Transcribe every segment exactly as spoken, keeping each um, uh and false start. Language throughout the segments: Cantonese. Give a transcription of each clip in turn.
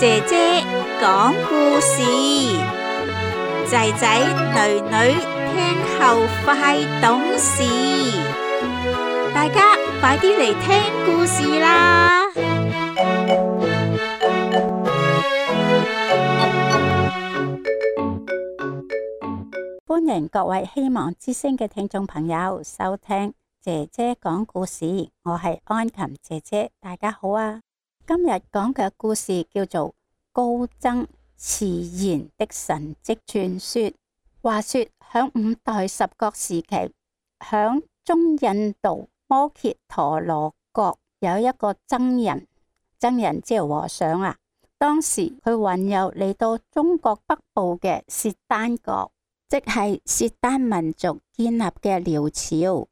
姐姐講故事，仔仔女女聽後快懂事。大家快啲嚟聽故事啦！歡迎各位希望之聲嘅聽眾朋友收聽姐姐講故事，我係安琴姐姐，大家好啊！今日講嘅故事叫做高僧遲延的神蹟傳說。話說響五代十國時期，響中印度摩羯陀羅國有一個僧人，僧人即係和尚啊。當時佢雲遊嚟到中國北部嘅契丹國，即係契丹民族建立嘅遼朝。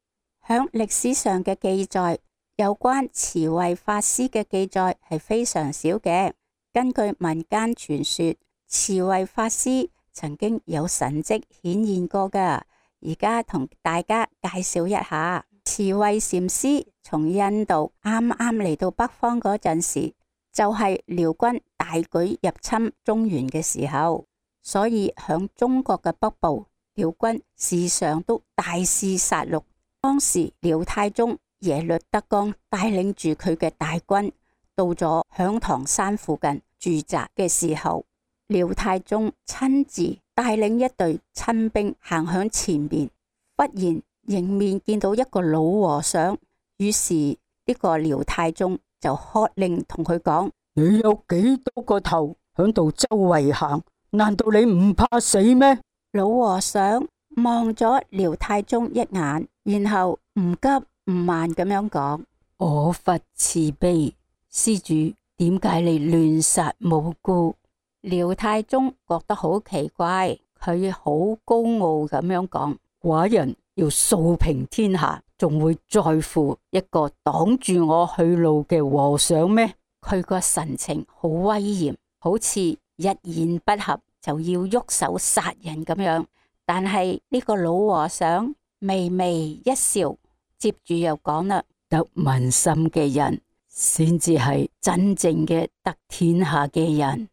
響歷史上嘅記載，有關慈惠法師嘅記載係非常少嘅。根據民間傳說，慈惠法師曾經有神蹟顯現過噶。而家同大家介紹一下，慈惠禪師從印度啱啱嚟到北方嗰陣時，就係遼軍大舉入侵中原嘅時候，所以響中國嘅北部，遼軍時常都大肆殺戮。當時遼太宗耶律德光帶領住佢嘅大軍到咗響堂山附近駐紮嘅時候，遼太宗親自帶領一隊親兵行向前面，忽然迎面見到一個老和尚，於是呢個遼太宗就喝令同佢講：你有幾多個頭響度周圍行？難道你唔怕死咩？老和尚望咗遼太宗一眼，然後唔急唔慢咁樣講：我佛慈悲，施主點解你亂殺無辜？遼太宗覺得好奇怪，佢好高傲咁樣講：寡人要掃平天下，仲會在乎一個擋住我去路嘅和尚咩？佢個神情好威嚴，好似一言不合就要喐手殺人咁樣。但係呢個老和尚微微一笑，接住又講啦：得民心嘅人先至係真正嘅得天下嘅人。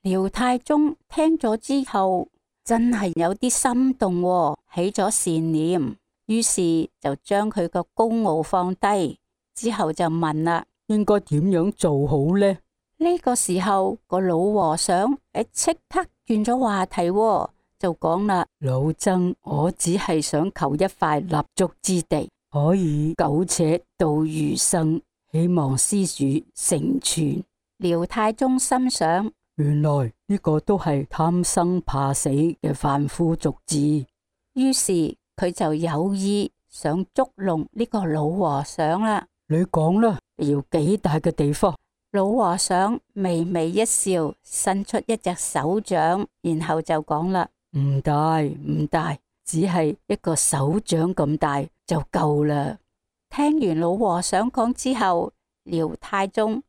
遼太宗聽咗之後真係有啲心動喎，起咗善念，於是就將佢個高傲放低，之後就問啦：應該點樣做好呢？呢個時候個老和尚誒即刻轉咗話題喎，就講啦：老僧，我只係想求一塊立足之地，可以苟且度餘生，希望施主成全。遼太宗心想：原來呢個都係貪生怕死嘅凡夫俗子，於是佢就有意想捉弄呢個老和尚啦。你講啦，要幾大嘅地方？老和尚微微一笑，伸出一隻手掌，然後就講啦：唔大唔大，只係一個手掌咁大就夠啦。聽完老和尚講之後，遼太宗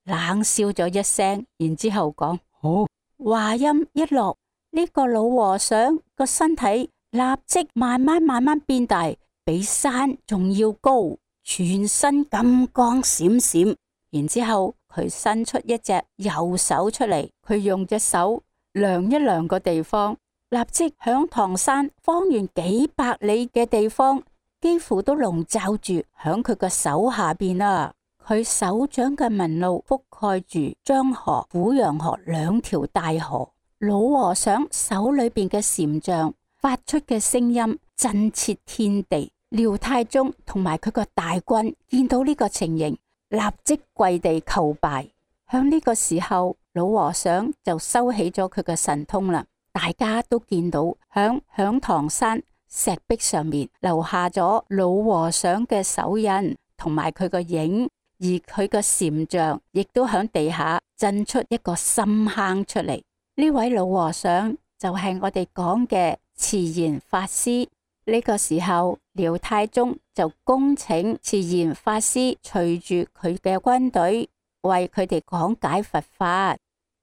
冷笑咗一聲，然之後講：好。話音一落，呢個老和尚個身體立即慢慢慢慢變大，比山仲要高，全身金光閃閃。然之後佢伸出一隻右手出嚟，佢用隻手量一量個地方，立即響唐山方圓幾百里嘅地方，幾乎都籠罩住響佢個手下邊啦。佢手掌嘅紋路覆蓋住漳河、虎陽河兩條大河。老和尚手裏邊嘅禪像發出嘅聲音震徹天地。遼太宗同埋佢個大軍見到呢個情形，立即跪地求拜。響呢個時候，老和尚就收起咗佢嘅神通啦。大家都見到響響唐山石壁上面留下咗老和尚嘅手印同埋佢個影，而佢個禪像亦都響地下震出一個深坑出嚟。呢位老和尚就係我哋講嘅遲延法師。呢個時候，遼太宗就恭請遲延法師隨住佢嘅軍隊為佢哋講解佛法，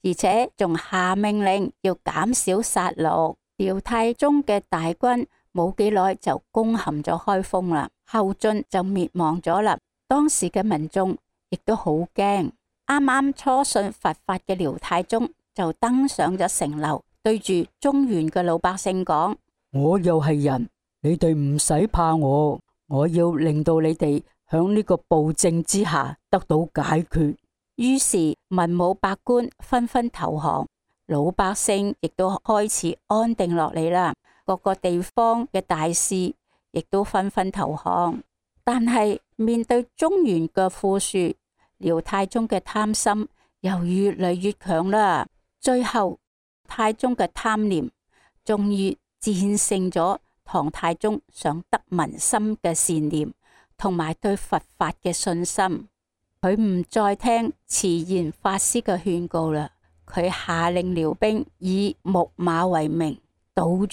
而且仲下命令要減少殺戮。遼太宗嘅大軍冇幾耐就攻陷咗開封啦，後晉就滅亡咗啦。當時嘅民眾亦都好驚，啱啱初信佛法嘅廖太宗就登上咗城樓，對住中原嘅老百姓講：我又係人，你哋唔使怕我，我要令到你哋響呢個暴政之下得到解決。於是文武百官紛紛投降，老百姓亦都開始安定落嚟啦。各個地方嘅大事亦都紛紛投降。但係面對中原嘅富庶，廖太宗嘅貪心又越嚟越強啦。最後太宗嘅貪念終於戰勝咗唐太宗想得民心嘅善念同埋對佛法嘅信心。佢唔再聽慈延法師嘅勸告啦，佢下令遼兵以木馬為名到處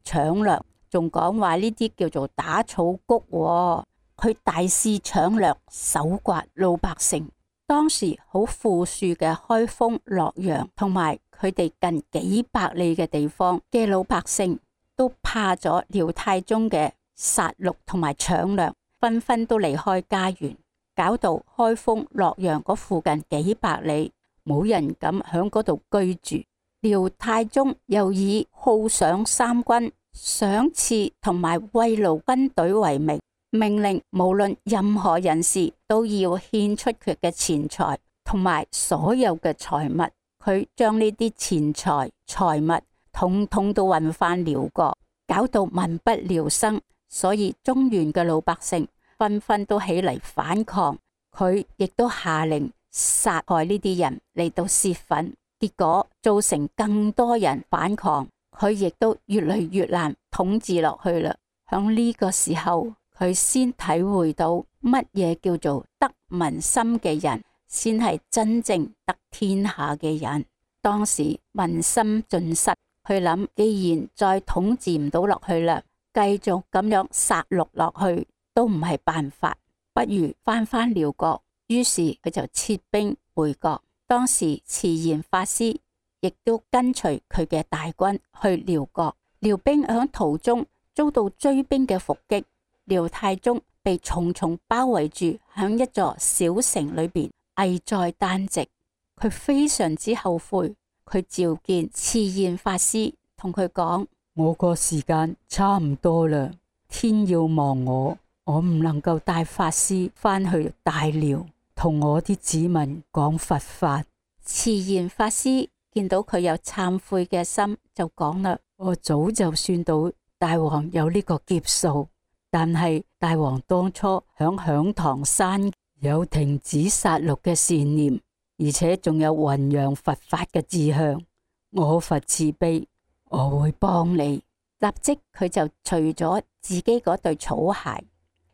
搶掠，仲講話呢啲叫做打草谷喎。佢大肆搶掠，搜刮老百姓。當時好富庶嘅開封、洛陽同埋佢哋近幾百里嘅地方嘅老百姓，都怕咗廖太宗嘅殺戮同埋搶掠，紛紛都離開家園，搞到開封、洛陽嗰附近幾百里冇人敢響嗰度居住。廖太宗又以犒賞三軍、賞賜同埋慰勞軍隊為名，命令無論任何人士都要獻出佢嘅錢財同埋所有嘅財物。佢將呢啲錢財財物統統都運翻遼國，搞到民不聊生。所以中原嘅老百姓紛紛都起嚟反抗，佢亦都下令殺害呢啲人嚟到泄憤，結果造成更多人反抗，佢亦都越嚟越難統治落去啦。響呢個時候，佢先體會到乜嘢叫做得民心嘅人，先係真正得天下嘅人。當時民心盡失，佢諗既然再統治唔到落去啦，繼續咁樣殺戮落去都唔係辦法，不如翻返遼國。於是佢就撤兵回國。當時慈延法師亦都跟隨佢嘅大軍去遼國。遼兵響途中遭到追兵嘅伏擊，廖太宗被重重包圍住，響一座小城裏邊危在旦夕。佢非常之後悔，佢召見慈延法師，同佢講：我個時間差唔多啦，天要亡我，我唔能夠帶法師翻去大遼，同我啲子民講佛法。慈延法師見到佢有懺悔嘅心，就講啦：我早就算到大王有呢個劫數，但係大王當初響響堂山有停止殺戮嘅善念，而且仲有弘揚佛法嘅志向，我佛慈悲，我會幫你。立即佢就除咗自己嗰對草鞋，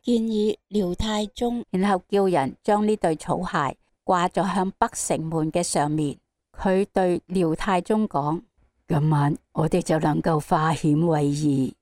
建議廖太宗，然後叫人將呢對草鞋掛咗向北城門嘅上面。佢對廖太宗講：今晚我哋就能夠化險為夷。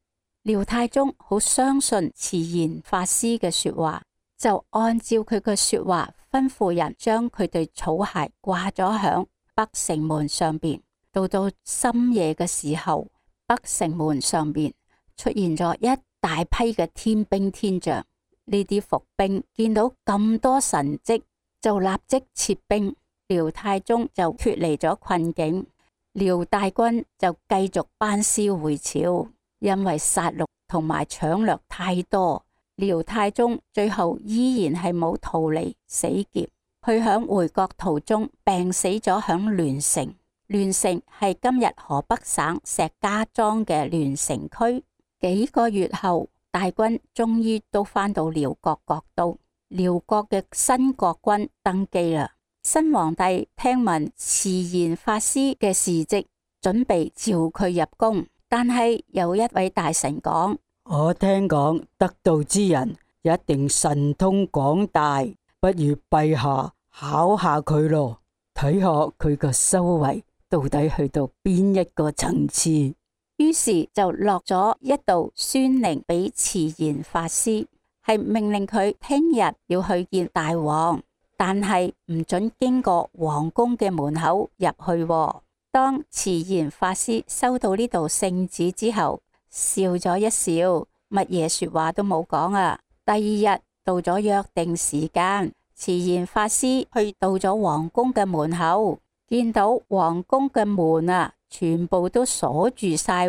廖太宗好相信慈延法師嘅說話，就按照佢嘅說話吩咐人將佢對草鞋掛咗響北城門上邊。到到深夜嘅時候，北城門上邊出現咗一大批嘅天兵天將。呢啲伏兵見到咁多神蹟，就立即撤兵。廖太宗就脫離咗困境，廖大軍就繼續班師回朝。因為殺戮同埋搶掠太多，廖太宗最後依然係冇逃離死劫。佢響回國途中病死咗響聯城。聯城係今日河北省石家莊嘅聯城區。幾個月後，大軍終於都返到遼國國都。遼國嘅新國君登基啦。新皇帝聽聞慈延法師嘅事蹟，準備召佢入宮。但係有一位大臣講：我聽講得道之人一定神通廣大，不如陛下考下佢咯，睇下佢個修為到底去到邊一個層次。於是就落咗一道宣令俾慈延法師，係命令佢聽日要去見大王，但係唔准經過皇宮嘅門口入去喎。當慈延法師收到呢道聖旨之後，笑咗一笑，乜嘢說話都冇講啊。第二日到咗約定時間，慈賢法師去到咗皇宮嘅門口，見到皇宮嘅門啊，全部都鎖住晒。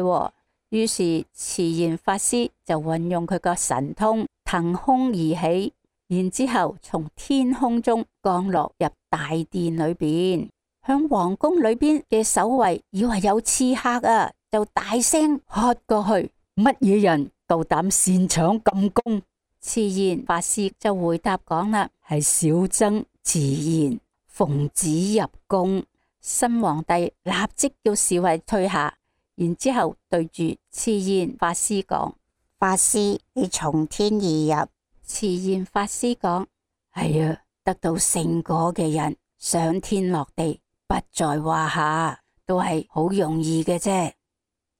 於是慈賢法師就運用佢個神通騰空而起，然之後從天空中降落入大殿裏邊。響皇宮裏邊嘅守衛以為有刺客啊，就大聲喝過去：乜嘢人夠膽擅闖禁宮？慈賢法師就回答講啦：係小僧慈賢，奉旨入宮。新皇帝立即叫侍衛退下，然之後對住慈賢法師講：法師，你從天而入。慈賢法師講：係啊，得到聖果嘅人上天落地不在話下，都係好容易嘅啫。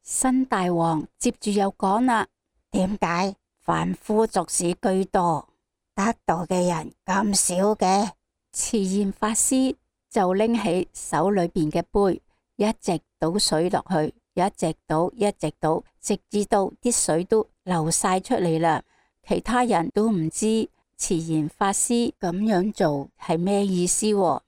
新大王接住又講啦：點解凡夫俗士居多，得道嘅人咁少嘅？慈賢法師就拎起手裏邊嘅杯，一直倒水落去，一直倒，一直倒，直至到啲水都流晒出嚟啦。其他人都唔知慈賢法師咁樣做係咩意思喎。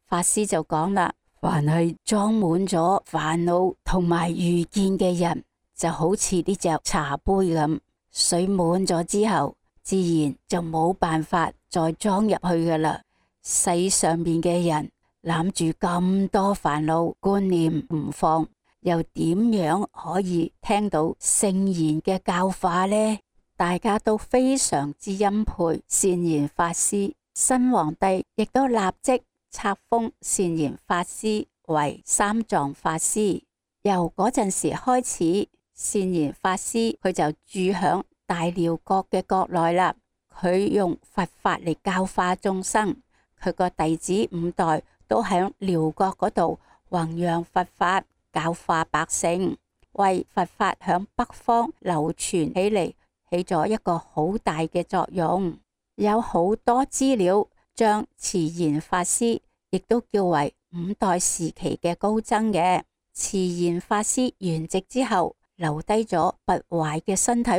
法師就講啦：凡係裝滿咗煩惱同埋愚見嘅人，就好似呢隻茶杯咁，水滿咗之後，自然就冇辦法再裝入去噶啦。世上面嘅人攬住咁多煩惱觀念唔放，又點樣可以聽到聖賢嘅教化呢？大家都非常之欽佩善賢法師，新皇帝亦都立即冊封善賢法師為三藏法師。由嗰陣時開始，善賢法師佢就住響大寮國嘅國內啦。佢用佛法嚟教化眾生，佢個弟子五代都響寮國嗰度弘揚佛法，教化百姓，為佛法響北方流傳起嚟，起咗一個好大嘅作用。有好多資料將慈賢法師亦都叫為五代時期嘅高僧嘅。慈賢法師圓寂之後，留低咗不壞嘅身體，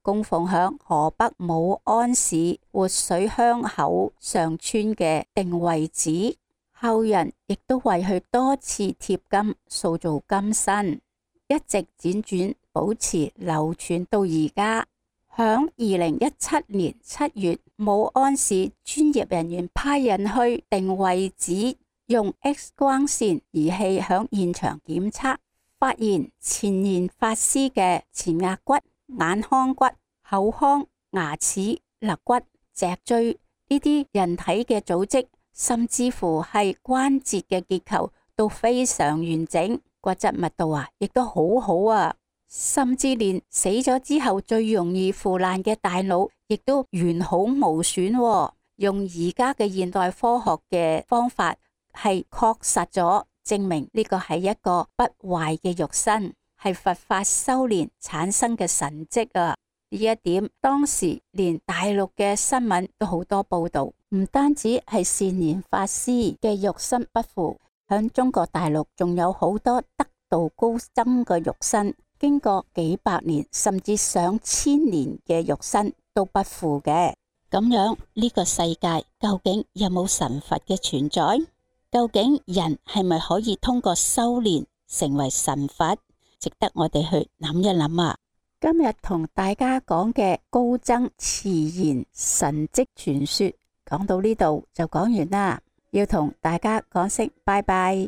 供奉響河北武安市活水鄉口上村嘅定慧寺。後人亦都為佢多次貼金，塑造金身，一直輾轉保持流傳到而家。響二零一七年七月，武安市專業人員派人去定慧寺，用 X 光線儀器響現場檢測，發現慈賢法師嘅前額骨、眼眶骨、口腔、牙齒、肋骨、脊椎呢啲人體嘅組織，甚至乎係關節嘅結構都非常完整，骨質密度啊亦都好好啊，甚至連死咗之後最容易腐爛嘅大腦亦都完好無損喎。用而家嘅現代科學嘅方法係確實咗證明呢個係一個不壞嘅肉身，係佛法修煉產生嘅神蹟啊！呢一點當時連大陸嘅新聞都好多報道，唔單止係善賢法師嘅肉身不腐，響中國大陸仲有好多得道高僧嘅肉身，經過幾百年甚至上千年嘅肉身都不腐嘅。咁樣呢個世界究竟有冇神佛嘅存在？究竟人係咪可以通過修煉成為神佛？值得我哋去諗一諗啊！今日同大家講嘅高僧慈賢神蹟傳說，講到呢度就講完啦。要同大家講聲拜拜。